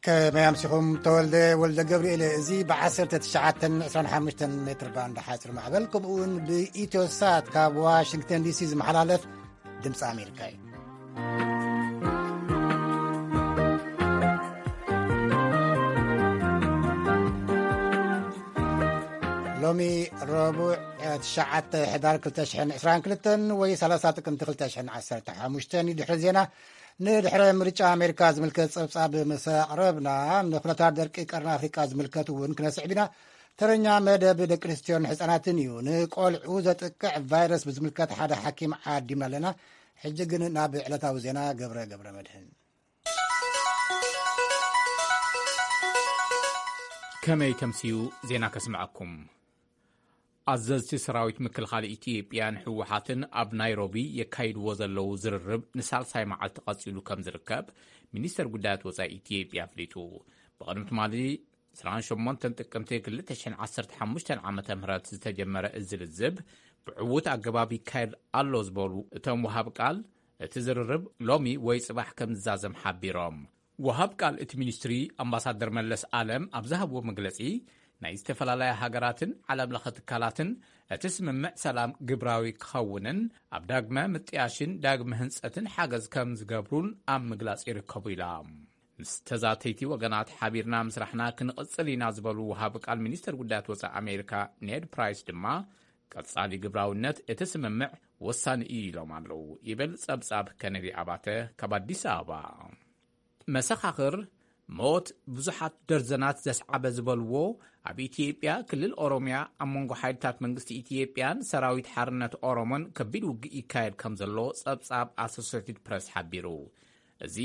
ከመይ ኣምሲኹም? ተወልደ ወልደ ገብርኤል። እዚ ብ1925 ሜትር ባንድ ሓፂር ማዕበል፣ ከምኡ እውን ብኢትዮ ሳት ካብ ዋሽንግተን ዲሲ ዝመሓላለፍ ድምፂ ኣሜሪካ እዩ። ሎሚ ረቡዕ፣ እ፣ ትሽዓተ ሕዳር ክልተ ሽሕን ዕስራን ክልተን ወይ ሰላሳ ጥቅምቲ ክልተ ሽሕን ዓሰርተ ሓሙሽተን እዩ። ድሕሪ ዜና፣ ንድሕረ ምርጫ ኣሜሪካ ዝምልከት ጸብጻብ ምስ ኣቕረብና፣ ንኩነታት ደርቂ ቀርኒ ኣፍሪቃ ዝምልከት እውን ክነስዕብ ኢና። ተረኛ መደብ ደቂ ኣንስትዮን ህጻናትን እዩ። ንቆልዑ ዘጥቅዕ ቫይረስ ብዝምልከት ሓደ ሓኪም ዓዲምና ኣለና። ሕጂ ግን ናብ ዕለታዊ ዜና። ገብረ ገብረ መድህን። ከመይ ተምስዩ ዜና ከስምዐኩም። ኣዘዝቲ ሰራዊት ምክልኻል ኢትዮጵያን ህወሓትን ኣብ ናይሮቢ የካይድዎ ዘለዉ ዝርርብ ንሳልሳይ መዓልቲ ቀጺሉ ከም ዝርከብ ሚኒስተር ጉዳያት ወጻኢ ኢትዮጵያ ኣፍሊጡ። ብቕድሚ ትማሊ ዕስራን ሸሞንተን ጥቅምቲ ክልተ ሽሕን ዓሰርተ ሓሙሽተን ዓመተ ምህረት ዝተጀመረ እዚ ልዝብ ብዕዉት ኣገባብ ይካየድ ኣሎ ዝበሉ እቶም ወሃብ ቃል፣ እቲ ዝርርብ ሎሚ ወይ ጽባሕ ከም ዝዛዘም ሓቢሮም። ወሃብ ቃል እቲ ሚኒስትሪ ኣምባሳደር መለስ ኣለም ኣብ ዝሃብዎ መግለጺ፣ ናይ ዝተፈላለያ ሃገራትን ዓለም ለኸ ትካላትን እቲ ስምምዕ ሰላም ግብራዊ ክኸውንን ኣብ ዳግመ ምጥያሽን ዳግመ ህንጸትን ሓገዝ ከም ዝገብሩን ኣብ ምግላጽ ይርከቡ ኢላ። ምስ ተዛተይቲ ወገናት ሓቢርና ምስራሕና ክንቕጽል ኢና ዝበሉ ወሃብ ቃል ሚኒስተር ጉዳያት ወጻኢ ኣሜሪካ ኔድ ፕራይስ ድማ፣ ቀጻሊ ግብራውነት እቲ ስምምዕ ወሳኒ እዩ ኢሎም ኣለዉ ይብል ጸብጻብ ከነዲ ኣባተ ካብ ኣዲስ ኣበባ። መሰኻኽር ሞት ብዙሓት ደርዘናት ዘስዓበ ዝበልዎ ኣብ ኢትዮጵያ ክልል ኦሮሚያ ኣብ መንጎ ሓይልታት መንግስቲ ኢትዮጵያን ሰራዊት ሓርነት ኦሮሞን ከቢድ ውግእ ይካየድ ከም ዘሎ ጸብጻብ ኣሶሴትድ ፕረስ ሓቢሩ። እዚ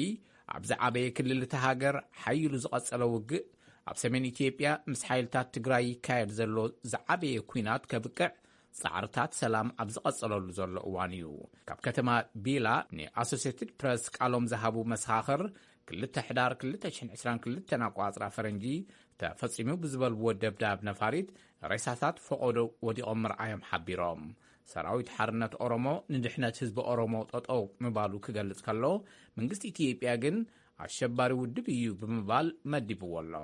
ኣብ ዝዓበየ ክልል እታ ሃገር ሓይሉ ዝቐጸለ ውግእ፣ ኣብ ሰሜን ኢትዮጵያ ምስ ሓይልታት ትግራይ ይካየድ ዘሎ ዝዓበየ ኲናት ከብቅዕ ጻዕርታት ሰላም ኣብ ዝቐጸለሉ ዘሎ እዋን እዩ። ካብ ከተማ ቢላ ንኣሶሴትድ ፕረስ ቃሎም ዝሃቡ መሰኻኽር፣ ክልተ ሕዳር ክልተ ሽሕን ዕስራን ክልተን ኣቋጽራ ፈረንጂ ተፈጺሙ ብዝበልዎ ደብዳብ ነፋሪት ሬሳታት ፈቖዶ ወዲቖም ምርኣዮም ሓቢሮም። ሰራዊት ሓርነት ኦሮሞ ንድሕነት ህዝቢ ኦሮሞ ጠጠው ምባሉ ክገልጽ ከሎ፣ መንግስቲ ኢትዮጵያ ግን ኣሸባሪ ውድብ እዩ ብምባል መዲብዎ ኣሎ።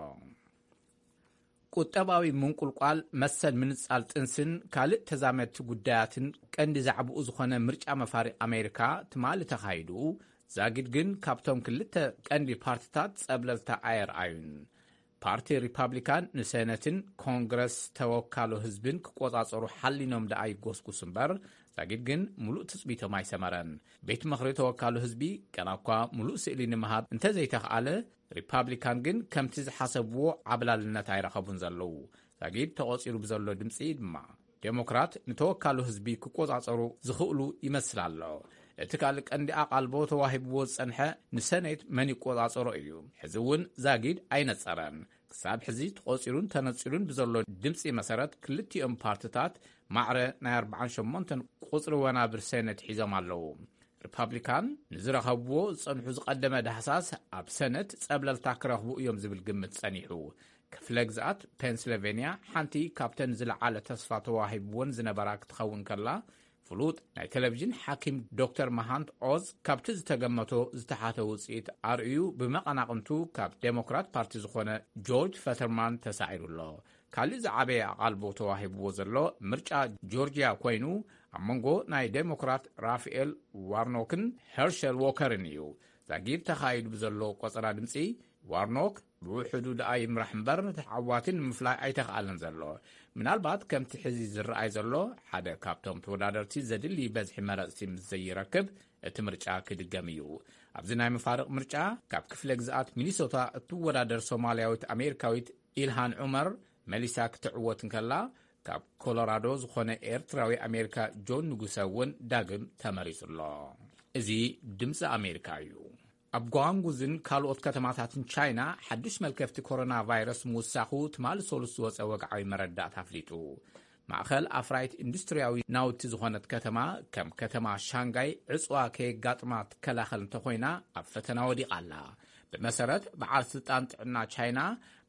ቁጠባዊ ምንቁልቋል፣ መሰል ምንጻል ጥንስን ካልእ ተዛመድቲ ጉዳያትን ቀንዲ ዛዕባኡ ዝኾነ ምርጫ መፋሪ ኣሜሪካ ትማሊ ተኻይዱ፣ ዛጊድ ግን ካብቶም ክልተ ቀንዲ ፓርትታት ጸብለልታ ኣየርኣዩን። ፓርቲ ሪፓብሊካን ንሰነትን ኮንግረስ ተወካሎ ህዝብን ክቆጻጸሩ ሓሊኖም ደኣ ይጎስጉስ እምበር፣ ዛጊድ ግን ሙሉእ ትጽቢቶም ኣይሰመረን። ቤት ምኽሪ ተወካሎ ህዝቢ ገና እኳ ሙሉእ ስእሊ ንምሃብ እንተዘይተኽኣለ፣ ሪፓብሊካን ግን ከምቲ ዝሓሰብዎ ዓብላልነት ኣይረኸቡን ዘለዉ። ዛጊድ ተቖጺሩ ብዘሎ ድምጺ ድማ፣ ዴሞክራት ንተወካሎ ህዝቢ ክቆጻጸሩ ዝኽእሉ ይመስል ኣሎ። እቲ ካልእ ቀንዲ ኣቓልቦ ተዋሂብዎ ዝጸንሐ ንሰኔት መን ይቆጻጸሮ እዩ። ሕዚ እውን ዛጊድ ኣይነጸረን። ክሳብ ሕዚ ተቖጺሩን ተነጺሉን ብዘሎ ድምጺ መሰረት፣ ክልቲኦም ፓርትታት ማዕረ ናይ ኣርባዓን ሸሞንተን ቁጽሪ ወናብር ሰኔት ሒዞም ኣለዉ። ሪፓብሊካን ንዝረኸብዎ ዝጸንሑ ዝቐደመ ዳህሳስ፣ ኣብ ሰነት ጸብለልታ ክረኽቡ እዮም ዝብል ግምት ጸኒሑ። ክፍለ ግዝኣት ፔንስልቬንያ ሓንቲ ካብተን ዝለዓለ ተስፋ ተዋሂብወን ዝነበራ ክትኸውን ከላ፣ ፍሉጥ ናይ ቴሌቪዥን ሓኪም ዶክተር መሃንት ኦዝ ካብቲ ዝተገመቶ ዝተሓተ ውጽኢት ኣርእዩ፣ ብመቐናቕንቱ ካብ ዴሞክራት ፓርቲ ዝኾነ ጆርጅ ፈተርማን ተሳዒሩ ኣሎ። ካልእ ዝዓበየ ኣቓልቦ ተዋሂብዎ ዘሎ ምርጫ ጆርጅያ ኮይኑ፣ ኣብ መንጎ ናይ ዴሞክራት ራፋኤል ዋርኖክን ሄርሸል ዎከርን እዩ። ዛጊድ ተኻይዱ ብዘሎ ቆጸራ ድምጺ፣ ዋርኖክ ብውሕዱ ደኣ ይምራሕ እምበር፣ ተዓዋቲ ንምፍላይ ኣይተኽኣለን ዘሎ። ምናልባት ከምቲ ሕዚ ዝረኣይ ዘሎ፣ ሓደ ካብቶም ተወዳደርቲ ዘድሊ በዝሒ መረጽቲ ምስ ዘይረክብ፣ እቲ ምርጫ ክድገም እዩ። ኣብዚ ናይ መፋርቕ ምርጫ፣ ካብ ክፍለ ግዝኣት ሚኒሶታ እትወዳደር ሶማልያዊት ኣሜሪካዊት ኢልሃን ዑመር መሊሳ ክትዕወት እንከላ፣ ካብ ኮሎራዶ ዝኾነ ኤርትራዊ ኣሜሪካ ጆን ንጉሰ እውን ዳግም ተመሪጹ ኣሎ። እዚ ድምፂ ኣሜሪካ እዩ። ኣብ ጓንጉዝን ካልኦት ከተማታትን ቻይና ሓዱሽ መልከፍቲ ኮሮና ቫይረስ ምውሳኹ ትማሊ ሰሉስ ዝወፀ ወግዓዊ መረዳእታ ኣፍሊጡ። ማእኸል ኣፍራይት ኢንዱስትሪያዊ ናውቲ ዝኾነት ከተማ፣ ከም ከተማ ሻንጋይ ዕፅዋ ከየጋጥማ ትከላኸል እንተኾይና፣ ኣብ ፈተና ወዲቓ ኣላ። ብመሰረት በዓል ስልጣን ጥዕና ቻይና፣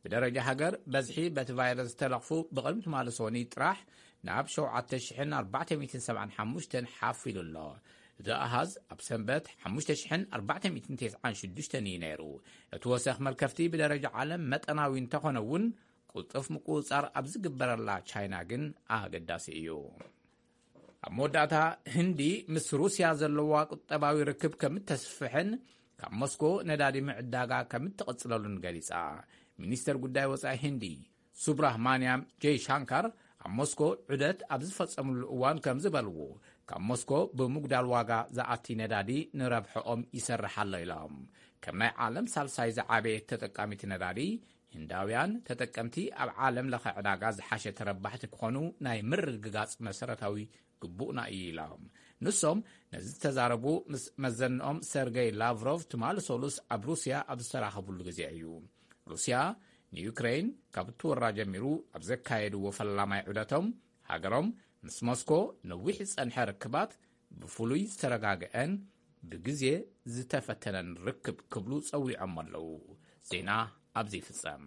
ብደረጃ ሃገር በዝሒ በቲ ቫይረስ ዝተለኽፉ ብቕድሚ ትማሊ ሰኑይ ጥራሕ ናብ ሸውዓተ ሽሕን ኣርባዕተ ሚእትን ሰብዓን ሓሙሽተን ሓፍ ኢሉ ኣሎ። እዚ ኣሃዝ ኣብ ሰንበት ሓሙሽተ ሽሕን ኣርባዕተ ሚእትን ተስዓን ሽዱሽተን እዩ ነይሩ። እቲ ወሰኽ መልከፍቲ ብደረጃ ዓለም መጠናዊ እንተኾነ እውን፣ ቅልጡፍ ምቁጽጻር ኣብ ዝግበረላ ቻይና ግን ኣገዳሲ እዩ። ኣብ መወዳእታ፣ ህንዲ ምስ ሩስያ ዘለዋ ቁጠባዊ ርክብ ከም እተስፍሕን ካብ ሞስኮ ነዳዲ ምዕዳጋ ከም እትቕጽለሉን ገሊጻ። ሚኒስተር ጉዳይ ወጻኢ ህንዲ ሱብራህማንያም ጀይ ሻንካር ኣብ ሞስኮ ዑደት ኣብ ዝፈጸምሉ እዋን ከም ዝበልዎ፣ ካብ ሞስኮ ብምጉዳል ዋጋ ዝኣቲ ነዳዲ ንረብሐኦም ይሰርሕ ኣሎ ኢሎም። ከም ናይ ዓለም ሳልሳይ ዝዓበየት ተጠቃሚት ነዳዲ፣ ህንዳውያን ተጠቀምቲ ኣብ ዓለም ለኸ ዕዳጋ ዝሓሸ ተረባሕቲ ክኾኑ ናይ ምርግጋጽ መሰረታዊ ግቡእና እዩ ኢሎም። ንሶም ነዚ ዝተዛረቡ ምስ መዘንኦም ሰርገይ ላቭሮቭ ትማሊ ሰሉስ ኣብ ሩስያ ኣብ ዝተራኸቡሉ ግዜ እዩ። ሩስያ ንዩክሬን ካብ እትወራ ጀሚሩ ኣብ ዘካየድዎ ፈላማይ ዑደቶም፣ ሃገሮም ምስ ሞስኮ ነዊሕ ዝጸንሐ ርክባት ብፍሉይ ዝተረጋግአን ብግዜ ዝተፈተነን ርክብ ክብሉ ጸዊዖም ኣለዉ። ዜና ኣብዚ ይፍጸም።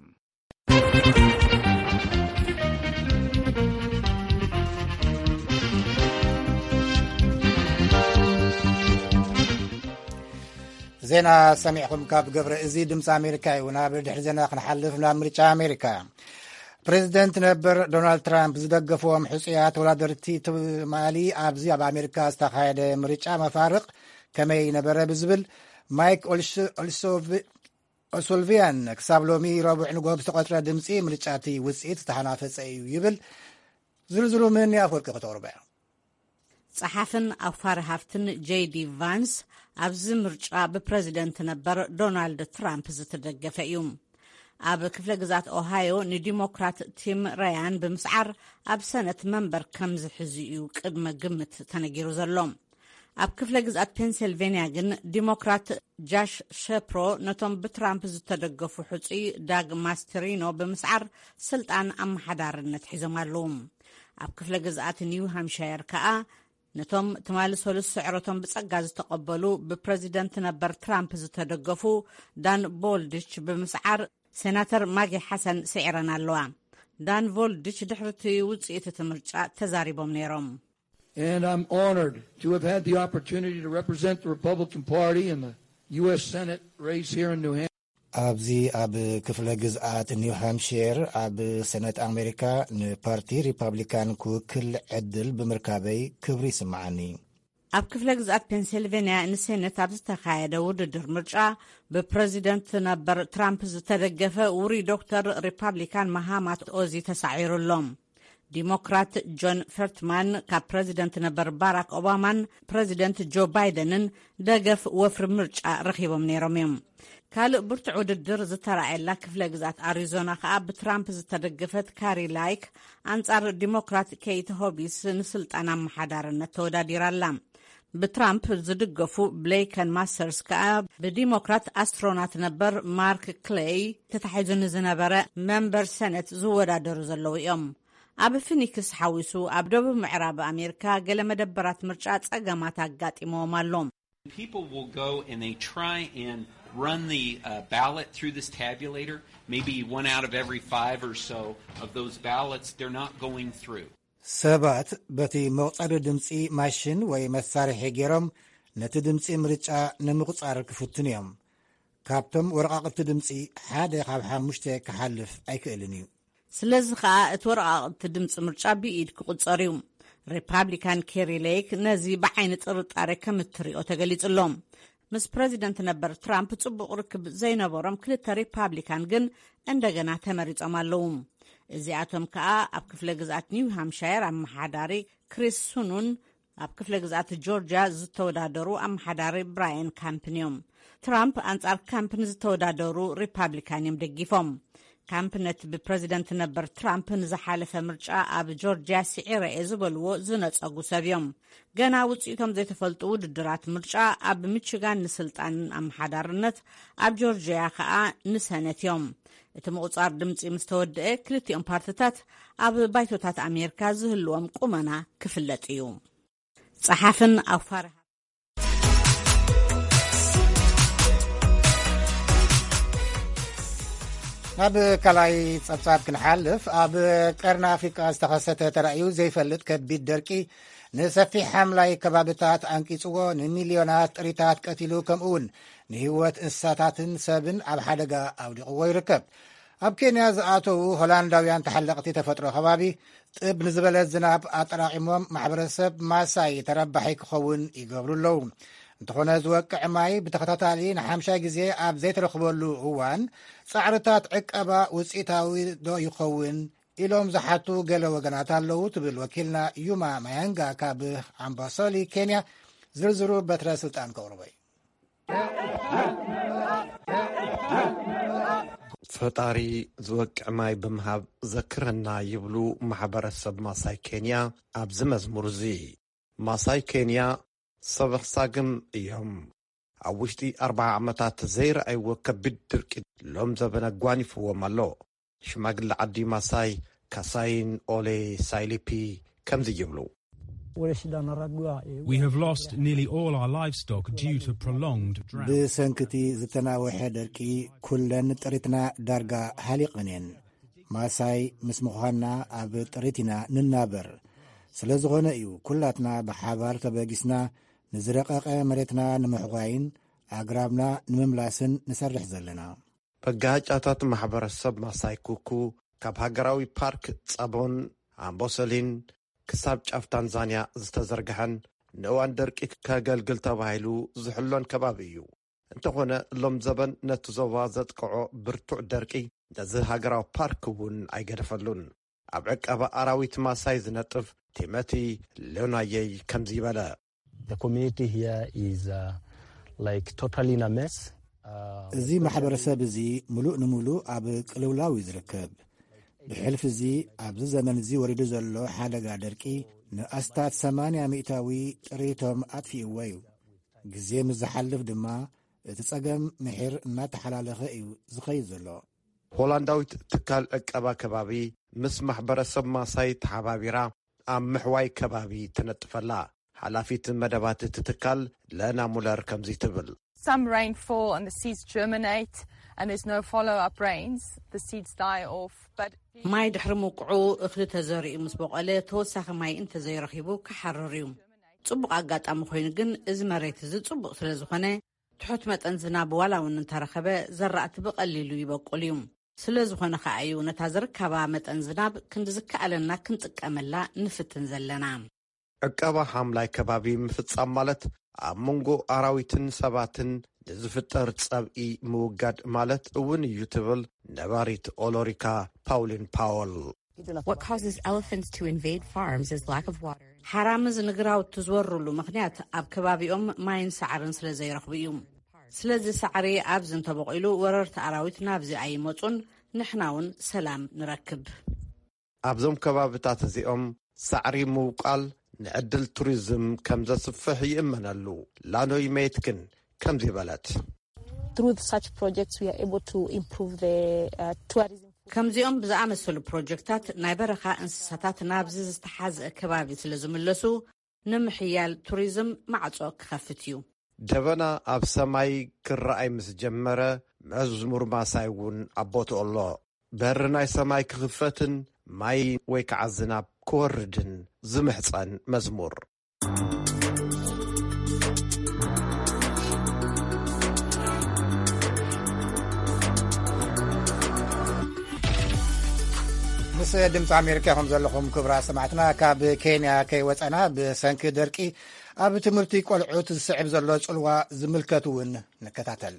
ዜና ሰሚዕኹም ካብ ገብረ እዚ ድምፂ ኣሜሪካ እዩ። ናብ ድሕሪ ዜና ክንሓልፍ ናብ ምርጫ ኣሜሪካ። ፕሬዚደንት ነበር ዶናልድ ትራምፕ ዝደገፍዎም ሕፁያት ተወዳደርቲ ትማሊ ኣብዚ ኣብ ኣሜሪካ ዝተኻየደ ምርጫ መፋርቕ ከመይ ነበረ ብዝብል ማይክ ኦልሶቪያን ክሳብ ሎሚ ረቡዕ ንጎ ብዝተቆፅረ ድምፂ ምርጫ እቲ ውፅኢት ዝተሓናፈፀ እዩ ይብል። ዝርዝሩ ምን ኣፈወርቂ ከተቕርበ። ጸሓፍን ኣውፋሪ ሃፍትን ጄዲ ቫንስ ኣብዚ ምርጫ ብፕረዚደንት ነበር ዶናልድ ትራምፕ ዝተደገፈ እዩ። ኣብ ክፍለ ግዛት ኦሃዮ ንዲሞክራት ቲም ረያን ብምስዓር ኣብ ሰነት መንበር ከም ዝሕዙ እዩ ቅድመ ግምት ተነጊሩ ዘሎ። ኣብ ክፍለ ግዝኣት ፔንሲልቬንያ ግን ዲሞክራት ጃሽ ሸፕሮ ነቶም ብትራምፕ ዝተደገፉ ሕጹይ ዳግ ማስተሪኖ ብምስዓር ስልጣን ኣመሓዳርነት ሒዞም ኣለዉ። ኣብ ክፍለ ግዝኣት ኒው ሃምሻየር ከኣ ነቶም ትማሊ ሰሉስ ስዕረቶም ብጸጋ ዝተቐበሉ ብፕረዚደንት ነበር ትራምፕ ዝተደገፉ ዳን ቦልድች ብምስዓር ሴናተር ማጊ ሓሰን ስዒረን ኣለዋ። ዳን ቮልድች ድሕሪ እቲ ውጽኢት እቲ ምርጫ ተዛሪቦም ነይሮም። And I'm honored to have had the opportunity to represent the Republican Party in the U S Senate race here in New Hampshire. ኣብዚ ኣብ ክፍለ ግዝኣት ኒው ሃምሽር ኣብ ሰነት ኣሜሪካ ንፓርቲ ሪፓብሊካን ክውክል ዕድል ብምርካበይ ክብሪ ይስምዓኒ። ኣብ ክፍለ ግዝኣት ፔንሲልቬንያ ንሴነት ኣብ ዝተኻየደ ውድድር ምርጫ ብፕረዚደንት ነበር ትራምፕ ዝተደገፈ ውሩይ ዶክተር ሪፓብሊካን ማሃማት ኦዚ ተሳዒሩ ኣሎ። ዲሞክራት ጆን ፈርትማን ካብ ፕረዚደንት ነበር ባራክ ኦባማን ፕረዚደንት ጆ ባይደንን ደገፍ ወፍሪ ምርጫ ረኺቦም ነይሮም እዮም። ካልእ ብርቱዕ ውድድር ዝተራእየላ ክፍለ ግዝኣት ኣሪዞና ከኣ ብትራምፕ ዝተደገፈት ካሪ ላይክ ኣንጻር ዲሞክራት ኬይት ሆቢስ ንስልጣን ኣመሓዳርነት ተወዳዲራ ኣላ። ብትራምፕ ዝድገፉ ብሌይከን ማስተርስ ከኣ ብዲሞክራት ኣስትሮናት ነበር ማርክ ክሌይ ተታሒዙ ንዝነበረ መንበር ሰነት ዝወዳደሩ ዘለዉ እዮም። ኣብ ፊኒክስ ሓዊሱ ኣብ ደቡብ ምዕራብ ኣሜሪካ ገለ መደበራት ምርጫ ጸገማት ኣጋጢሞዎም ኣሎ። People will go and they try and run the uh, ballot through this tabulator. Maybe one out of every five or so of those ballots, they're not going through. ሰባት በቲ መቑጸሪ ድምጺ ማሽን ወይ መሳርሒ ገይሮም ነቲ ድምጺ ምርጫ ንምቑጻር ክፍትኑ እዮም። ካብቶም ወረቓቕቲ ድምጺ ሓደ ካብ ሓሙሽተ ክሓልፍ ኣይክእልን እዩ። ስለዚ ከኣ እቲ ወረቓቕቲ ድምጺ ምርጫ ብኢድ ክቑጸር እዩ። ሪፓብሊካን ኬሪ ሌክ ነዚ ብዓይኒ ጥርጣሬ ከም እትሪኦ ተገሊጹ ኣሎ። ምስ ፕረዚደንት ነበር ትራምፕ ጽቡቕ ርክብ ዘይነበሮም ክልተ ሪፓብሊካን ግን እንደገና ተመሪጾም ኣለዉ። እዚኣቶም ከኣ ኣብ ክፍለ ግዝኣት ኒው ሃምሻየር ኣመሓዳሪ ክሪስ ሱኑን ኣብ ክፍለ ግዝኣት ጆርጅያ ዝተወዳደሩ ኣመሓዳሪ ብራየን ካምፕን እዮም። ትራምፕ ኣንጻር ካምፕን ዝተወዳደሩ ሪፓብሊካን እዮም ደጊፎም። ካምፕ ነቲ ብፕረዚደንት ነበር ትራምፕ ንዝሓለፈ ምርጫ ኣብ ጆርጅያ ስዒረ እየ ዝበልዎ ዝነጸጉ ሰብ እዮም። ገና ውጽኢቶም ዘይተፈልጡ ውድድራት ምርጫ ኣብ ሚችጋን ንስልጣን ኣመሓዳርነት፣ ኣብ ጆርጅያ ከኣ ንሰነት እዮም። እቲ ምቑጻር ድምጺ ምስ ተወደአ ክልቲኦም ፓርትታት ኣብ ባይቶታት ኣሜሪካ ዝህልዎም ቁመና ክፍለጥ እዩ። ጸሓፍን ኣውፋሪ ናብ ካልኣይ ጸብጻብ ክንሓልፍ፣ ኣብ ቀርኒ ኣፍሪቃ ዝተኸሰተ ተራእዩ ዘይፈልጥ ከቢድ ደርቂ ንሰፊሕ ሓምላይ ከባብታት ኣንቂጽዎ፣ ንሚልዮናት ጥሪታት ቀቲሉ፣ ከምኡውን ንህይወት እንስሳታትን ሰብን ኣብ ሓደጋ ኣውዲቕዎ ይርከብ። ኣብ ኬንያ ዝኣተዉ ሆላንዳውያን ተሓለቕቲ ተፈጥሮ ከባቢ፣ ጥብ ንዝበለት ዝናብ ኣጠራቒሞም ማሕበረሰብ ማሳይ ተረባሒ ክኸውን ይገብሩ ኣለዉ። እንተኾነ፣ ዝወቅዕ ማይ ብተኸታታሊ ንሓምሻይ ግዜ ኣብ ዘይተረኽበሉ እዋን፣ ጻዕርታት ዕቀባ ውጽኢታዊ ዶ ይኸውን ኢሎም ዝሓቱ ገለ ወገናት ኣለዉ፣ ትብል ወኪልና ዩማ ማያንጋ ካብ ኣምባሶሊ ኬንያ። ዝርዝሩ በትረ ስልጣን ከቕርቦ እዩ። ፈጣሪ ዝወቅዕ ማይ ብምሃብ ዘክረና፣ ይብሉ ማሕበረሰብ ማሳይ ኬንያ ኣብዚ መዝሙር እዚ። ማሳይ ኬንያ ሰብ ኣኽሳግም እዮም። ኣብ ውሽጢ ኣርብዓ ዓመታት ዘይረኣይዎ ከቢድ ድርቂ ሎም ዘበነ ጓኒፍዎም ኣሎ። ሽማግለ ዓዲ ማሳይ ካሳይን ኦሌ ሳይሊፒ ከምዚ ይብሉ። We have lost nearly all our livestock due to prolonged drought. ብሰንክቲ ዝተናወሐ ደርቂ ኩለን ጥሪትና ዳርጋ ሃሊቐን እየን። ማሳይ ምስ ምዃንና ኣብ ጥሪት ኢና ንናበር። ስለ ዝኾነ እዩ ኩላትና ብሓባር ተበጊስና ንዝረቐቐ መሬትና ንምሕዋይን ኣግራብና ንምምላስን ንሰርሕ ዘለና። መጋጫታት ማሕበረሰብ ማሳይ ኩኩ ካብ ሃገራዊ ፓርክ ጸቦን ኣምቦሰሊን ክሳብ ጫፍ ታንዛንያ ዝተዘርግሐን ንእዋን ደርቂ ከገልግል ተባሂሉ ዝሕሎን ከባቢ እዩ። እንተኾነ፣ ሎም ዘበን ነቲ ዞባ ዘጥቅዖ ብርቱዕ ደርቂ ነዚ ሃገራዊ ፓርክ እውን ኣይገደፈሉን። ኣብ ዕቀባ ኣራዊት ማሳይ ዝነጥፍ ቲመቲ ሎናየይ ከምዚ ይበለ። The community here is uh, like totally in a mess. Uh, እዚ ማሕበረሰብ እዚ ምሉእ ንምሉእ ኣብ ቅልውላው እዩ ዝርከብ። ብሕልፊ እዚ ኣብዚ ዘመን እዚ ወሪዱ ዘሎ ሓደጋ ደርቂ ንኣስታት ሰማንያ ሚእታዊ ጥሪቶም ኣጥፊእዎ እዩ። ግዜ ምስ ዝሓልፍ ድማ እቲ ጸገም ምሒር እናተሓላለኸ እዩ ዝኸይድ ዘሎ። ሆላንዳዊት ትካል ዕቀባ ከባቢ ምስ ማሕበረሰብ ማሳይ ተሓባቢራ ኣብ ምሕዋይ ከባቢ ትነጥፈላ ሓላፊት መደባት እቲ ትካል ለና ሙለር ከምዚ ትብል። Some rainfall and the seeds germinate and there's no follow-up rains. The seeds die off. But ማይ ድሕሪ ምውቅዑ እኽሊ ተዘሪኡ ምስ በቆለ ተወሳኺ ማይ እንተዘይረኺቡ ክሓርር እዩ። ጽቡቕ ኣጋጣሚ ኮይኑ ግን እዚ መሬት እዚ ጽቡቕ ስለ ዝኾነ ትሑት መጠን ዝናብ ዋላ እውን እንተረኸበ ዘራእቲ ብቐሊሉ ይበቁል እዩ። ስለ ዝኾነ ከኣ እዩ ነታ ዝርከባ መጠን ዝናብ ክንዲ ዝከኣለና ክንጥቀመላ ንፍትን ዘለና። ዕቀባ ሓምላይ ከባቢ ምፍጻም ማለት ኣብ መንጎ ኣራዊትን ሰባትን ንዝፍጠር ጸብኢ ምውጋድ ማለት እውን እዩ ትብል ነባሪት ኦሎሪካ ፓውሊን ፓወል። What causes elephants to invade farms is lack of water. ሓራምዝ ንግራውቲ ዝወርሉ ምኽንያት ኣብ ከባቢኦም ማይን ሳዕርን ስለ ዘይረኽቡ እዩ። ስለዚ ሳዕሪ ኣብዚ እንተበቂሉ ወረርቲ ኣራዊት ናብዚ ኣይመጹን፣ ንሕና እውን ሰላም ንረክብ። ኣብዞም ከባብታት እዚኦም ሳዕሪ ምውቃል ንዕድል ቱሪዝም ከም ዘስፍሕ ይእመነሉ። ላኖይ መየት ግን ከምዚ በለት። Through such projects, we are able to improve the uh, tourism. ከምዚኦም ብዝኣመሰሉ ፕሮጀክታት ናይ በረኻ እንስሳታት ናብዚ ዝተሓዝአ ከባቢ ስለ ዝምለሱ ንምሕያል ቱሪዝም ማዕጾ ክኸፍት እዩ። ደበና ኣብ ሰማይ ክረኣይ ምስ ጀመረ መዝሙር ማሳይ እውን ኣብ ቦትኡ ኣሎ። በሪ ናይ ሰማይ ክኽፈትን ማይ ወይ ከዓ ዝናብ ክወርድን ዝምሕጸን መዝሙር። ምስ ድምፂ ኣሜሪካ ኢኹም ዘለኹም ክቡራት ሰማዕትና። ካብ ኬንያ ከይወፀና ብሰንኪ ደርቂ ኣብ ትምህርቲ ቆልዑት ዝስዕብ ዘሎ ፅልዋ ዝምልከት እውን ንከታተል።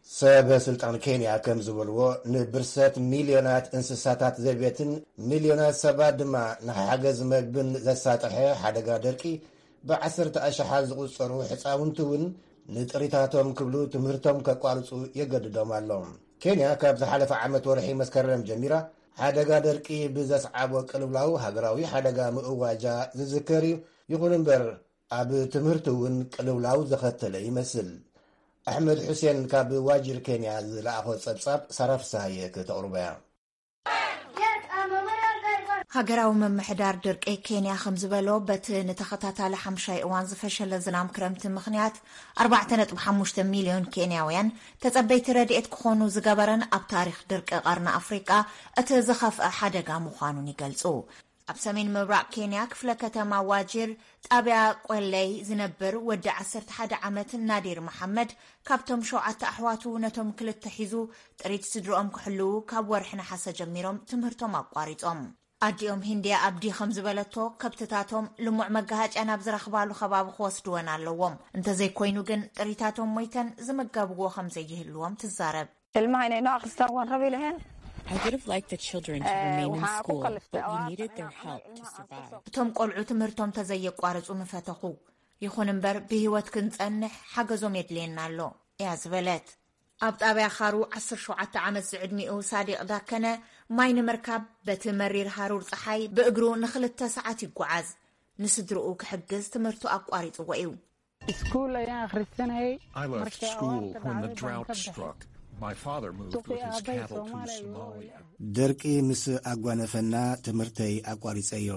ሰበ ስልጣን ኬንያ ከም ዝበልዎ ንብርሰት ሚልዮናት እንስሳታት ዘቤትን ሚልዮናት ሰባት ድማ ንሓገዝ መግብን ዘሳጥሐ ሓደጋ ደርቂ ብዓሰርተ ኣሽሓት ዝቑጸሩ ሕፃውንቲ እውን ንጥሪታቶም ክብሉ ትምህርቶም ከቋርጹ የገድዶም ኣሎ። ኬንያ ካብ ዝሓለፈ ዓመት ወርሒ መስከረም ጀሚራ ሓደጋ ደርቂ ብዘስዓቦ ቅልውላው ሃገራዊ ሓደጋ ምእዋጃ ዝዝከር እዩ። ይኹን እምበር ኣብ ትምህርቲ እውን ቅልውላው ዘኸተለ ይመስል። ኣሕመድ ሑሴን ካብ ዋጅር ኬንያ ዝለኣኾ ጸብጻብ ሳራ ፍስሃየ ክተቕርቦ እያ። ሃገራዊ ምምሕዳር ድርቂ ኬንያ ከም ዝበሎ፣ በቲ ንተኸታታሊ ሓምሻይ እዋን ዝፈሸለ ዝናም ክረምቲ ምኽንያት ኣርባዕተ ነጥቢ ሓሙሽተ ሚልዮን ኬንያውያን ተጸበይቲ ረድኤት ክኾኑ ዝገበረን ኣብ ታሪኽ ድርቂ ቀርኒ ኣፍሪቃ እቲ ዝኸፍአ ሓደጋ ምዃኑን ይገልጹ። ኣብ ሰሜን ምብራቕ ኬንያ ክፍለ ከተማ ዋጂር ጣብያ ቆለይ ዝነብር ወዲ ዓሰርተ ሓደ ዓመት ናዲር መሓመድ ካብቶም ሸውዓተ ኣሕዋቱ ነቶም ክልተ ሒዙ ጥሪት ስድርኦም ክሕልዉ ካብ ወርሒ ነሓሰ ጀሚሮም ትምህርቶም ኣቋሪጾም። ኣዲኦም ሂንድያ ኣብዲ ከም ዝበለቶ ከብትታቶም ልሙዕ መጋሃጭያ ናብ ዝረኽባሉ ከባቢ ክወስድወን ኣለዎም። እንተዘይኮይኑ ግን ጥሪታቶም ሞይተን ዝምገብዎ ከም ዘይህልዎም ትዛረብ። Ilmahayna inoo akhristaan waan rabi laheen. I would have liked the children to remain in school, but we needed their help to survive. እቶም ቆልዑ ትምህርቶም ተዘየቋርጹ ምፈተኹ። ይኹን እምበር ብህይወት ክንጸንሕ ሓገዞም የድልየና ኣሎ እያ ዝበለት። ኣብ ጣብያ ኻሩ ዓሰርተ ሸውዓተ ዓመት ዝዕድሚኡ ሳዲቕ ዳከነ ማይ ንምርካብ በቲ መሪር ሃሩር ጸሓይ ብእግሩ ንኽልተ ሰዓት ይጓዓዝ። ንስድርኡ ክሕግዝ ትምህርቱ ኣቋሪጽዎ እዩ። Iskuul ayaan akhrisanayay. I left school when the drought struck. My father moved with his cattle to Somalia. ደርቂ ምስ ኣጓነፈና ትምህርተይ ኣቋሪጸዮ።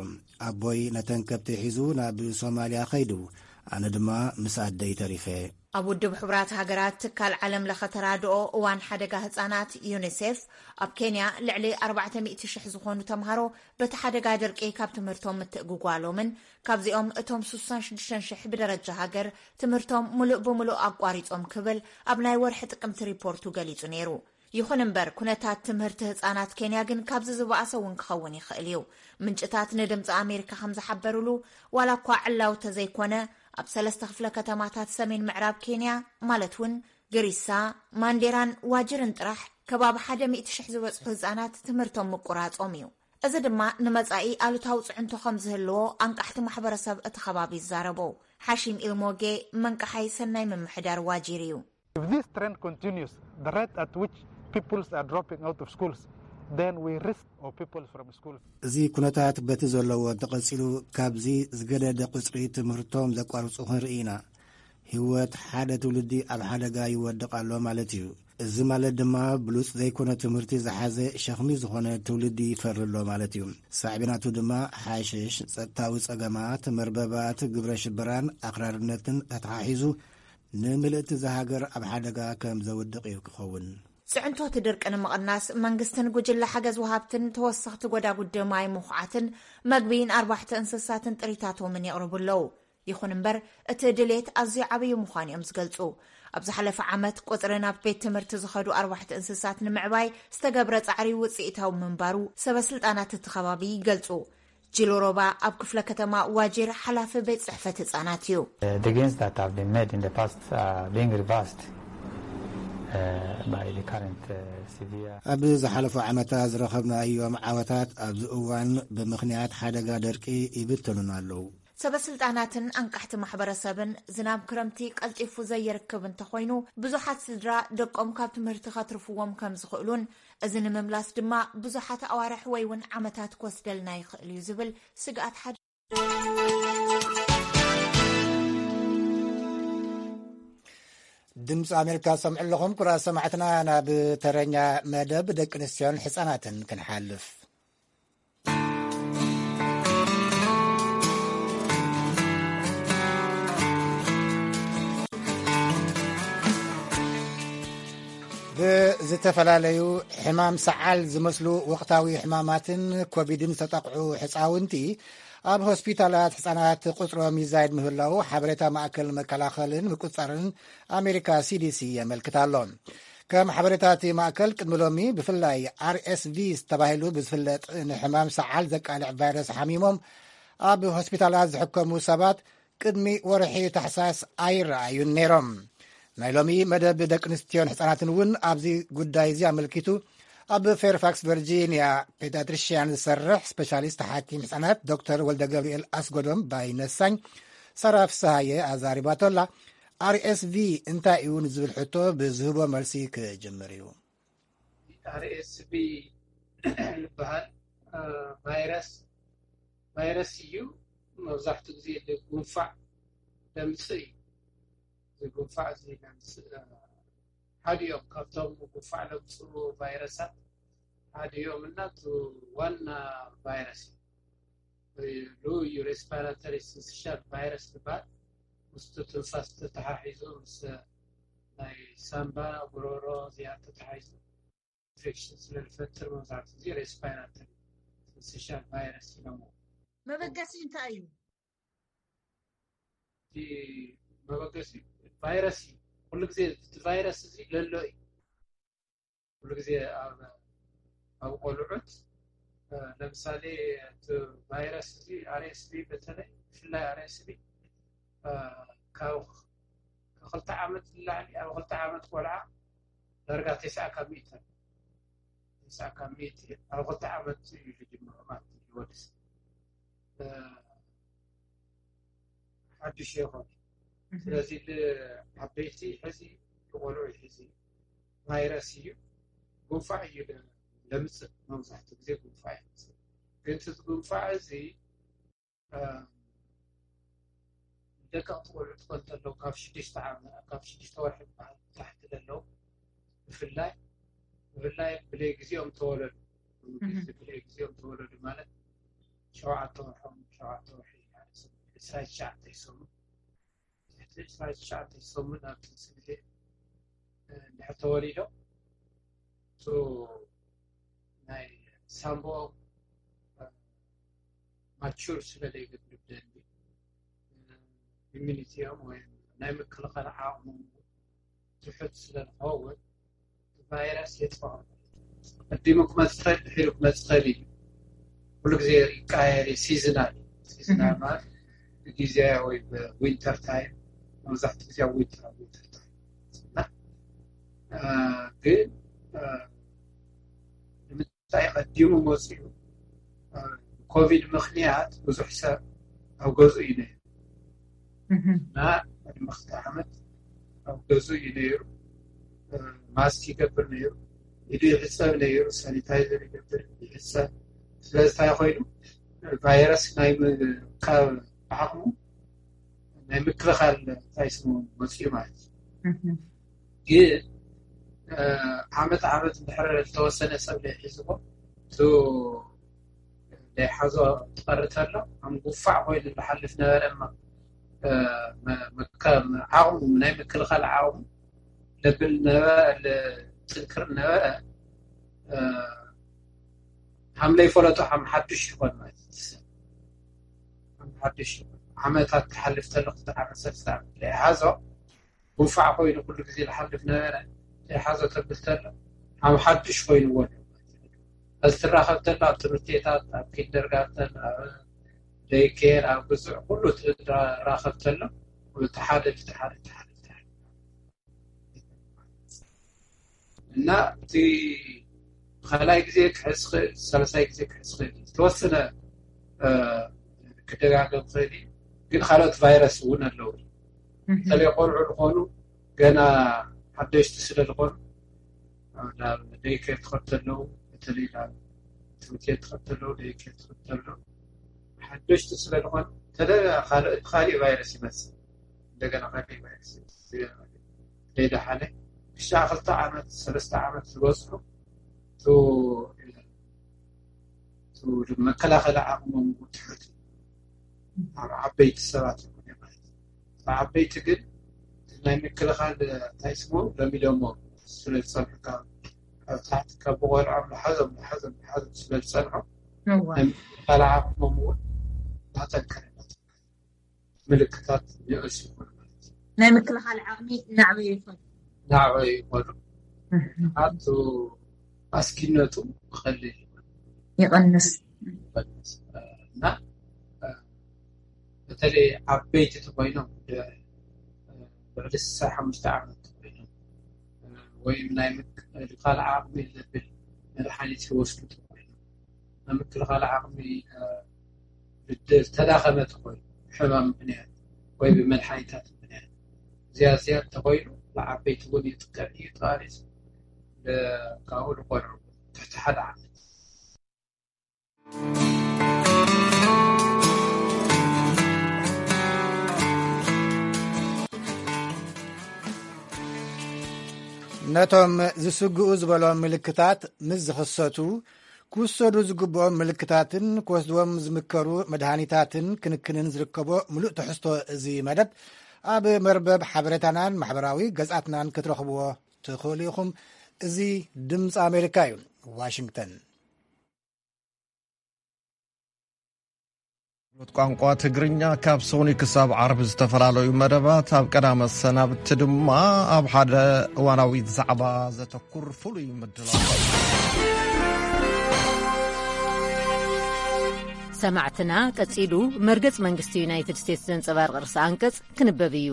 ኣቦይ ነተን ከብቲ ሒዙ ናብ ሶማልያ ኸይዱ፣ ኣነ ድማ ምስ ኣደይ ተሪፈ። ኣብ ውድብ ሕቡራት ሃገራት ትካል ዓለም ለኸ ተራድኦ እዋን ሓደጋ ህጻናት ዩኒሴፍ ኣብ ኬንያ ልዕሊ ኣርባዕተ ሚእቲ ሽሕ ዝኾኑ ተምሃሮ በቲ ሓደጋ ደርቂ ካብ ትምህርቶም ምትእግጓሎምን ካብዚኦም እቶም ስሳን ሽዱሽተን ሽሕ ብደረጃ ሃገር ትምህርቶም ሙሉእ ብሙሉእ ኣቋሪጾም ክብል ኣብ ናይ ወርሒ ጥቅምቲ ሪፖርቱ ገሊጹ ነይሩ። ይኹን እምበር ኩነታት ትምህርቲ ህጻናት ኬንያ ግን ካብዚ ዝበኣሰ እውን ክኸውን ይኽእል እዩ። ምንጭታት ንድምፂ ኣሜሪካ ከም ዝሓበሩሉ ዋላ እኳ ዕላው ተዘይኮነ ኣብ ሰለስተ ክፍለ ከተማታት ሰሜን ምዕራብ ኬንያ ማለት እውን ግሪሳ፣ ማንዴራን ዋጅርን ጥራሕ ከባቢ ሓደ ሚእቲ ሽሕ ዝበፅሑ ህጻናት ትምህርቶም ምቁራጾም እዩ። እዚ ድማ ንመጻኢ ኣሉታዊ ጽዕንቶ ከም ዝህልዎ ኣንቃሕቲ ማሕበረሰብ እቲ ከባቢ ይዛረቡ። ሓሺም ኢልሞጌ መንቃሓይ ሰናይ ምምሕዳር ዋጂር እዩ። If this trend continues, the rate at which pupils are dropping out of schools, then we risk our pupils from schools. እዚ ኩነታት በቲ ዘለዎ እንተቐጺሉ፣ ካብዚ ዝገደደ ቁጽሪ ትምህርቶም ዘቋርጹ ክንርኢ ኢና። ህይወት ሓደ ትውልዲ ኣብ ሓደጋ ይወድቕ ኣሎ ማለት እዩ። እዚ ማለት ድማ ብሉጽ ዘይኮነ ትምህርቲ ዝሓዘ ሸኽሚ ዝኾነ ትውልዲ ይፈሪ ኣሎ ማለት እዩ። ሳዕቤናቱ ድማ ሓሽሽ፣ ጸጥታዊ ጸገማት፣ መርበባት፣ ግብረ ሽበራን ኣኽራርነትን ተተሓሒዙ ንምልእቲ እዛ ሃገር ኣብ ሓደጋ ከም ዘውድቕ እዩ ክኸውን። ጽዕንቶቲ ድርቂ ንምቕናስ መንግስትን ጉጅለ ሓገዝ ወሃብትን ተወሰኽቲ ጎዳጉዲ ማይ ምኹዓትን መግቢ ንኣርባሕቲ እንስሳትን ጥሪታቶምን የቕርቡ ኣለዉ። ይኹን እምበር እቲ ድሌት ኣዝዩ ዓብዩ ምዃኑ እዮም ዝገልጹ። ኣብ ዝሓለፈ ዓመት ቁጽሪ ናብ ቤት ትምህርቲ ዝኸዱ ኣርባሕቲ እንስሳት ንምዕባይ ዝተገብረ ጻዕሪ ውጽኢታዊ ምንባሩ ሰበ ስልጣናት እቲ ከባቢ ይገልጹ። ጅሎ ሮባ ኣብ ክፍለ ከተማ ዋጂር ሓላፊ ቤት ጽሕፈት ህጻናት እዩ። The gains that have been made in the past are being reversed uh, by the current uh, severe. ኣብ ዝሓለፉ ዓመታት ዝረኸብናዮም ዓወታት ኣብዚ እዋን ብምኽንያት ሓደጋ ደርቂ ይብተኑና ኣለዉ። ሰበ ስልጣናትን ኣንቃሕቲ ማሕበረሰብን ዝናብ ክረምቲ ቀልጢፉ ዘይርክብ እንተኾይኑ ብዙሓት ስድራ ደቆም ካብ ትምህርቲ ከትርፍዎም ከም ዝኽእሉን እዚ ንምምላስ ድማ ብዙሓት ኣዋርሕ ወይ እውን ዓመታት ክወስደልና ይኽእል እዩ ዝብል ስግኣት ሓደ ድምፂ ኣሜሪካ ዝሰምዑ ኣለኹም። ኩራ ሰማዕትና ናብ ተረኛ መደብ ደቂ ኣንስትዮን ሕፃናትን ክንሓልፍ። ብዝተፈላለዩ ሕማም ሰዓል ዝመስሉ ወቕታዊ ሕማማትን ኮቪድን ዝተጠቕዑ ሕፃውንቲ ኣብ ሆስፒታላት ሕፃናት ቁፅሮም ይዛየድ ምህላው ሓበሬታ ማእከል መከላኸልን ምቁፅፃርን ኣሜሪካ ሲዲሲ የመልክት ኣሎ። ከም ሓበሬታ እቲ ማእከል ቅድሚ ሎሚ ብፍላይ ኣርኤስቪ ተባሂሉ ብዝፍለጥ ንሕማም ሰዓል ዘቃልዕ ቫይረስ ሓሚሞም ኣብ ሆስፒታላት ዝሕከሙ ሰባት ቅድሚ ወርሒ ታሕሳስ ኣይረኣዩን ነይሮም። ናይ ሎሚ መደብ ደቂ ኣንስትዮን ሕፃናትን እውን ኣብዚ ጉዳይ እዚ ኣመልኪቱ ኣብ ፌርፋክስ ቨርጂኒያ ፔዳትሪሽያን ዝሰርሕ ስፔሻሊስት ሓኪም ሕፃናት ዶክተር ወልደ ገብርኤል ኣስጎዶም ባይነሳኝ ሰራ ፍስሃየ ኣዛሪባቶላ። ኣርኤስቪ እንታይ እዩ ንዝብል ሕቶ ብዝህቦ መልሲ ክጅምር እዩ። ኣርኤስቪ ዝበሃል ቫይረስ ቫይረስ እዩ። መብዛሕትኡ ግዜ ጉንፋዕ ለምፅእ እዩ። እዚ ጉንፋዕ እዚ ለምፅእ ሓደ እዮም ካብቶም ጉንፋዕ ለምፅኡ ቫይረሳት ሓደ እዮም እና ዋና ቫይረስ እዩ። ሉ እዩ ሬስፓራተሪ ሲንስሻል ቫይረስ ዝበሃል ምስቱ ትንፋስ ተተሓሒዙ ምስ ናይ ሳምባ ጉሮሮ እዚኣ ተተሓሒዙ ኢንፌክሽን ስለ ዝፈጥር መብዛሕትኡ ግዜ ሬስፓራተሪ ሲንስሻል ቫይረስ ኢሎሞ። መበገሲ እንታይ እዩ? እቲ መበገሲ ቫይረስ እዩ። ኩሉ ግዜ እቲ ቫይረስ እዚ ለሎ እዩ። ኩሉ ግዜ ኣብ ኣብ ቆልዑት ለምሳሌ እቲ ቫይረስ እዚ ኣርኤስቢ በተለይ ብፍላይ ኣርኤስቢ ካብ ክልተ ዓመት ንላዕሊ ኣብ ክልተ ዓመት ቆልዓ ዳርጋ ተስዓ ካብ ሚእቲ ተስዓ ካብ ሚእቲ ኣብ ክልተ ዓመት እዩ ዝጅምሩ ማለት እዩ ወዲ ሰብ ሓዱሽ የኾነ ስለዚ ዓበይቲ ሕዚ ቆልዑ ሕዚ ቫይረስ እዩ ጉንፋዕ እዩ ለምፅእ መብዛሕትኡ ግዜ ጉንፋዕ ይምፅእ ግን እቲ ጉንፋዕ እዚ ደቀቕቲ ቆልዑ ትኾን ተለው ካብ ሽዱሽተ ዓመት ካብ ሽዱሽተ ወርሒ በዓል ታሕቲ ዘለው ብፍላይ ብፍላይ ብለይ ግዜኦም ተወለዱ ብለይ ግዜኦም ተወለዱ ማለት ሸውዓተ ወርሖም ሸውዓተ ወርሒ ዕስራ ትሽዓተ ይሰሙ ትሽዓተ ሰሙን ኣብ ጥንሲ ግዜ እንድሕር ተወሊዶም ናይ ሳምቦኦም ማቹር ስለ ዘይገብር ብደንቢ ኢሚኒቲኦም ወይ ናይ ምክልኻል ዓቕሞም ትሑት ስለ ዝኸውን ቫይረስ የጥፍዖም። ቀዲሙ ክመፅእ ይኽእል ድሒሩ ክመፅእ ይኽእል እዩ። ኩሉ ግዜ ይቀያየር እዩ። ሲዝናል እዩ። ሲዝናል ማለት ብግዜ ወይ ብዊንተር ታይም መብዛሕትኡ ግዜ ኣብ ዊንተር ኣብ ዊንተር ታይም እና ግን ንምንታይ ቀዲሙ መፂኡ ኮቪድ ምኽንያት ብዙሕ ሰብ ኣብ ገዝኡ እዩ ነይሩ እና ቅድሚ ክልተ ዓመት ኣብ ገዝኡ እዩ ነይሩ። ማስክ ይገብር ነይሩ፣ ኢዱ ይሕፀብ ነይሩ፣ ሳኒታይዘር ይገብር ይሕፀብ። ስለዚ እንታይ ኮይኑ ቫይረስ ናይ ምርካብ ዓቕሙ ናይ ምክልኻል እንታይ ስሙ መፅኡ ማለት እዩ። ግን ዓመት ዓመት እንድሕር ዝተወሰነ ሰብ ለይሒዝዎ እቲ ለይሓዞ ትቐሪ ተሎ ከም ጉፋዕ ኮይኑ ዝሓልፍ ነበረ እማ ዓቕሙ ናይ ምክልኻል ዓቕሙ ለብል ነበረ ጥንክር ነበረ ሃም ለይፈለጦ ሃም ሓዱሽ ይኾን ማለት ሓዱሽ ዓመታት ትሓልፍ ተሎ ክልተ ዓመት ሰለስተ ዓመት ለይሓዞ ጉንፋዕ ኮይኑ ኩሉ ግዜ ዝሓልፍ ነበረ ዘይሓዞ ተብል ተሎ ሃም ሓዱሽ ኮይንዎ ኣሎ እዚ ትራኸብ ተሎ ኣብ ትምህርት ቤታት ኣብ ኪንደርጋርተን ኣብ ደይኬር ኣብ ግዙዕ ኩሉ ትራኸብ ተሎ እቲ ሓደ እቲ ሓደ እቲ ሓደ እና እቲ ካልኣይ ግዜ ክሕዝ ክእል ሳልሳይ ግዜ ክሕዝ ክእል ዝተወሰነ ክደጋገም ክእል እዩ ግን ካልኦት ቫይረስ እውን ኣለዉ በተለይ ቆልዑ ዝኾኑ ገና ሓደሽቲ ስለ ዝኾኑ ናብ ደይኬር ትኸድ ተለዉ በተለይ ናብ ትምህርት ቤት ትኸድ ተለዉ ደይኬር ትኸድ ተለዉ ሓደሽቲ ስለ ዝኾኑ ተደ ካልኦት ካሊእ ቫይረስ ይመፅእ እንደገና ካሊእ ቫይረስ ይመፅእ ዘይደሓነ ክሻ ክልተ ዓመት ሰለስተ ዓመት ዝበፅሑ መከላኸሊ ዓቕሞም ትሑት ኣብ ዓበይቲ ሰባት ይኮነ ማለት እዩ። ዓበይቲ ግን ናይ ምክልኻል እንታይ ስሙ ለሚዶሞ ስለ ዝፀንሑ ካብ ታሕቲ ካብ ብቆልዖም ንሓዞም ንሓዞም ንሓዞም ስለ ዝፀንሑ ናይ ምክልኻል ዓቕሞም እውን እናጠንከረ ምልክታት ንእስ ይኮኑ ማለት እዩ። ናይ ምክልኻል ዓቕሚ እናዕበዩ ይኸዱ። እናዕበዩ ይኸዱ። ኣቱ ኣስጊነቱ ክኸልል ይኸዱ። ይቐንስ። ይቐንስ። እና በተለይ ዓበይቲ ተኮይኖም ልዕሊ ስሳ ሓሙሽተ ዓመት ተኮይኖም ወይም ናይ ምክልኻል ዓቕሚ ዘብል መድሓኒት ይወስዱ ተኮይኖም ናይ ምክልኻል ዓቕሚ ዝተዳኸመ ተኮይኑ ሕማም ምክንያት ወይ ብመድሓኒታት ምክንያት ዝያድ ዝያድ ተኮይኑ ንዓበይቲ እውን ይጥቀም እዩ ተባሪስ ካብኡ ንቆልዑ ትሕቲ ሓደ ዓመት ነቶም ዝስግኡ ዝበሎም ምልክታት ምስ ዝኽሰቱ ክውሰዱ ዝግብኦም ምልክታትን ክወስድዎም ዝምከሩ መድሃኒታትን ክንክንን ዝርከቦ ምሉእ ትሕዝቶ እዚ መደብ ኣብ መርበብ ሓበሬታናን ማሕበራዊ ገጻትናን ክትረኽብዎ ትኽእሉ ኢኹም። እዚ ድምፂ ኣሜሪካ እዩ። ዋሽንግተን ቋንቋ ትግርኛ ካብ ሶኒ ክሳብ ዓርቢ ዝተፈላለዩ መደባት፣ ኣብ ቀዳመ ሰናብቲ ድማ ኣብ ሓደ እዋናዊ ዛዕባ ዘተኩር ፍሉይ ምድላው። ሰማዕትና፣ ቀጺሉ መርገጽ መንግስቲ ዩናይትድ ስቴትስ ዘንጸባርቕ ርእሰ ኣንቀጽ ክንበብ እዩ።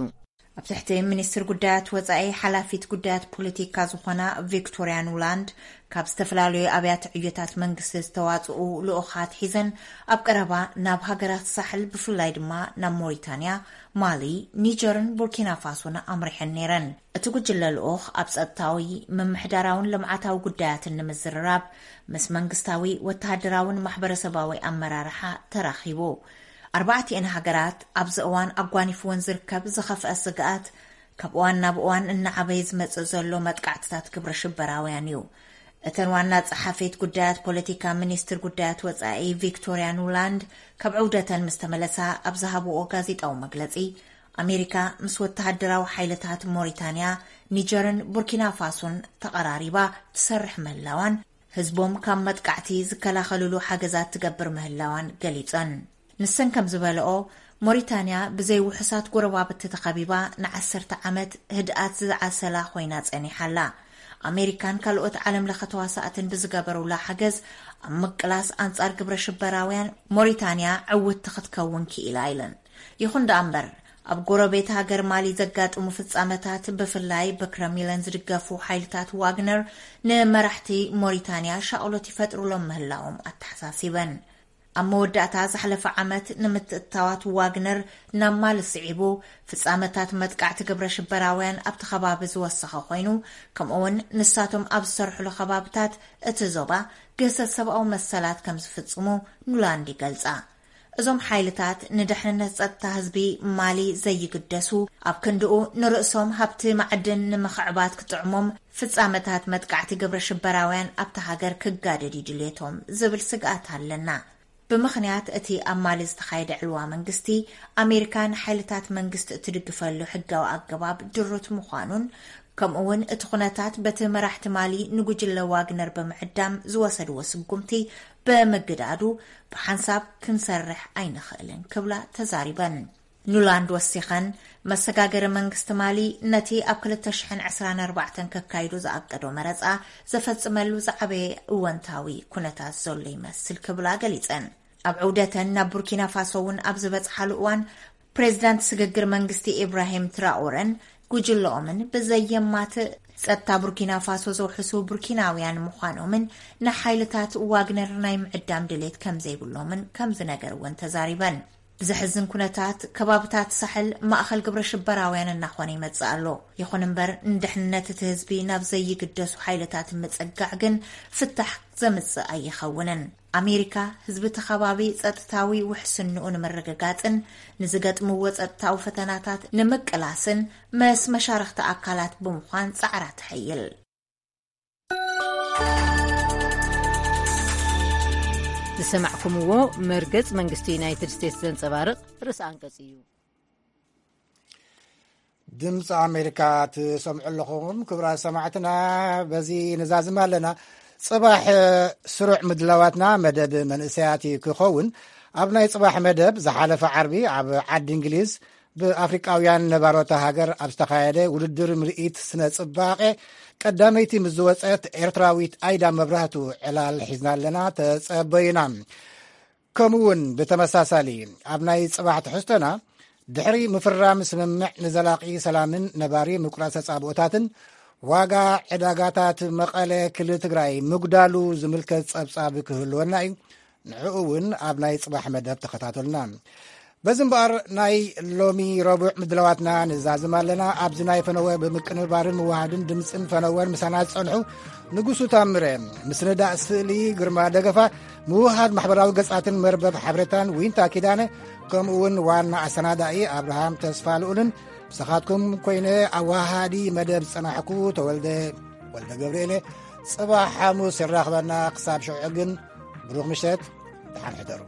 ኣብ ትሕቲ ሚኒስትር ጉዳያት ወጻኢ ሓላፊት ጉዳያት ፖለቲካ ዝኾና ቪክቶርያ ኑላንድ፣ ካብ ዝተፈላለዩ ኣብያተ ዕዮታት መንግስቲ ዝተዋጽኡ ልኡኻት ሒዘን ኣብ ቀረባ ናብ ሃገራት ሳሕል፣ ብፍላይ ድማ ናብ ሞሪታንያ፣ ማሊ፣ ኒጀርን ቡርኪና ፋሶን ኣምሪሐን ነይረን። እቲ ጉጅለ ልኡኽ ኣብ ጸጥታዊ፣ ምምሕዳራውን ልምዓታዊ ጉዳያትን ንምዝርራብ ምስ መንግስታዊ፣ ወተሃደራውን ማሕበረሰባዊ ኣመራርሓ ተራኺቡ። ኣርባዕቲኤን ሃገራት ኣብዚ እዋን ኣጓኒፍወን ዝርከብ ዝኸፍአ ስግኣት፣ ካብ እዋን ናብ እዋን እናዓበየ ዝመጽእ ዘሎ መጥቃዕትታት ግብረ ሽበራውያን እዩ። እተን ዋና ጸሓፊት ጉዳያት ፖለቲካ ሚኒስትር ጉዳያት ወጻኢ ቪክቶርያ ኑላንድ፣ ካብ ዕውደተን ምስ ተመለሳ ኣብ ዝሃብዎ ጋዜጣዊ መግለጺ፣ ኣሜሪካ ምስ ወተሃደራዊ ሓይልታት ሞሪታንያ፣ ኒጀርን ቡርኪና ፋሶን ተቐራሪባ ትሰርሕ ምህላዋን፣ ህዝቦም ካብ መጥቃዕቲ ዝከላኸልሉ ሓገዛት ትገብር ምህላዋን ገሊጸን። ንሰን ከም ዝበለኦ፣ ሞሪታንያ ብዘይ ውሑሳት ጎረባብቲ ተኸቢባ ንዓሰርተ ዓመት ህድኣት ዝዓሰላ ኮይና ጸኒሓ ኣላ። ኣሜሪካን ካልኦት ዓለም ለኸ ተዋሳእትን ብዝገበሩላ ሓገዝ፣ ኣብ ምቅላስ ኣንጻር ግብረ ሽበራውያን ሞሪታንያ ዕውትቲ ክትከውን ክኢላ ኢለን። ይኹን ደኣ እምበር፣ ኣብ ጎረቤት ሃገር ማሊ ዘጋጥሙ ፍጻመታት፣ ብፍላይ ብክረምሊን ዝድገፉ ሓይልታት ዋግነር፣ ንመራሕቲ ሞሪታንያ ሻቕሎት ይፈጥሩሎም ምህላዎም ኣተሓሳሲበን። ኣብ መወዳእታ ዝሓለፈ ዓመት፣ ንምትእትታዋት ዋግነር ናብ ማሊ ስዒቡ፣ ፍጻመታት መጥቃዕቲ ግብረ ሽበራውያን ኣብቲ ከባቢ ዝወሰኸ ኮይኑ፣ ከምኡውን ንሳቶም ኣብ ዝሰርሕሉ ከባብታት እቲ ዞባ ግህሰት ሰብኣዊ መሰላት ከም ዝፍጽሙ ኑላንድ ይገልጻ። እዞም ሓይልታት ንድሕንነት ጸጥታ ህዝቢ ማሊ ዘይግደሱ፣ ኣብ ክንድኡ ንርእሶም ሃብቲ ማዕድን ንምኽዕባት ክጥዕሞም፣ ፍጻመታት መጥቃዕቲ ግብረ ሽበራውያን ኣብታ ሃገር ክጋደድ እዩ ድልየቶም ዝብል ስግኣት ኣለና። ብምኽንያት እቲ ኣብ ማሊ ዝተኻየደ ዕልዋ መንግስቲ፣ ኣሜሪካ ንሓይልታት መንግስቲ እትድግፈሉ ሕጋዊ ኣገባብ ድሩት ምዃኑን፣ ከምኡውን እቲ ኩነታት በቲ መራሕቲ ማሊ ንጉጅለ ዋግነር ብምዕዳም ዝወሰድዎ ስጉምቲ ብምግዳዱ፣ ብሓንሳብ ክንሰርሕ ኣይንኽእልን ክብላ ተዛሪበን። ኑላንድ ወሲኸን፣ መሰጋገሪ መንግስቲ ማሊ ነቲ ኣብ ክልተ ሽሕን ዕስራን ኣርባዕተን ከካይዶ ዝኣቀዶ መረጻ ዘፈጽመሉ ዝዓበየ እወንታዊ ኩነታት ዘሎ ይመስል ክብላ ገሊጸን። ኣብ ዑደተን ናብ ቡርኪና ፋሶ እውን ኣብ ዝበጽሓሉ እዋን፣ ፕሬዚዳንት ስግግር መንግስቲ ኢብራሂም ትራኦረን ጉጅለኦምን ብዘየማትእ ጸጥታ ቡርኪና ፋሶ ዘውሕሱ ቡርኪናውያን ምዃኖምን ንሓይልታት ዋግነር ናይ ምዕዳም ድሌት ከም ዘይብሎምን ከም ዝነገርወን ተዛሪበን። ብዘሕዝን ኩነታት፣ ከባብታት ሳሕል ማእኸል ግብረ ሽበራውያን እናኾነ ይመጽእ ኣሎ። ይኹን እምበር፣ ንድሕንነት እቲ ህዝቢ ናብ ዘይግደሱ ሓይልታት ምጽጋዕ ግን ፍታሕ ዘምጽእ ኣይኸውንን። ኣሜሪካ፣ ህዝቢ እቲ ከባቢ ጸጥታዊ ውሕስንኡ ንምርግጋጽን ንዝገጥምዎ ጸጥታዊ ፈተናታት ንምቅላስን ምስ መሻርኽቲ ኣካላት ብምዃን ጻዕራ ትሕይል። ዝሰማዕኩምዎ መርገጽ መንግስቲ ዩናይትድ ስቴትስ ዘንጸባርቕ ርእሰ ኣንቀጽ እዩ። ድምፂ ኣሜሪካ ትሰምዑ ኣለኹም። ክቡራት ሰማዕትና፣ በዚ ንዛዝም ኣለና። ጽባሕ ስሩዕ ምድላዋትና መደብ መንእሰያት እዩ ክኸውን። ኣብ ናይ ጽባሕ መደብ፣ ዝሓለፈ ዓርቢ ኣብ ዓዲ እንግሊዝ ብኣፍሪቃውያን ነባሮታ ሃገር ኣብ ዝተኻየደ ውድድር ምርኢት ስነ ጽባቐ ቀዳመይቲ ምስ ዝወጸት ኤርትራዊት ኣይዳ መብራህቱ ዕላል ሒዝና ኣለና። ተጸበዩና። ከምኡ እውን ብተመሳሳሊ፣ ኣብ ናይ ጽባሕ ትሕዝቶና፣ ድሕሪ ምፍራም ስምምዕ ንዘላቒ ሰላምን ነባሪ ምቁራጽ ተጻብኦታትን፣ ዋጋ ዕዳጋታት መቐለ ክልል ትግራይ ምጉዳሉ ዝምልከት ጸብጻብ ክህልወና እዩ። ንዕኡ እውን ኣብ ናይ ጽባሕ መደብ ተኸታተሉና። በዚ እምበኣር፣ ናይ ሎሚ ረቡዕ ምድላዋትና ንዛዝም ኣለና። ኣብዚ ናይ ፈነወ ብምቅንባርን ምውሃድን ድምፅን ፈነወን ምሳና ዝጸንሑ፣ ንጉሱ ታምረ፣ ምስንዳእ ስእሊ ግርማ ደገፋ፣ ምውሃድ ማሕበራዊ ገጻትን መርበብ ሓበሬታን ዊንታ ኪዳነ፣ ከምኡ እውን ዋና ኣሰናዳኢ ኣብርሃም ተስፋ ልኡልን፣ ምሳኻትኩም ኮይነ ኣዋሃዲ መደብ ዝጸናሕኩ ተወልደ ወልደ ገብርኤለ። ጽባሕ ሓሙስ የራኽበና። ክሳብ ሽዑ ግን፣ ብሩኽ ምሸት፣ ደሓን ሕደሩ።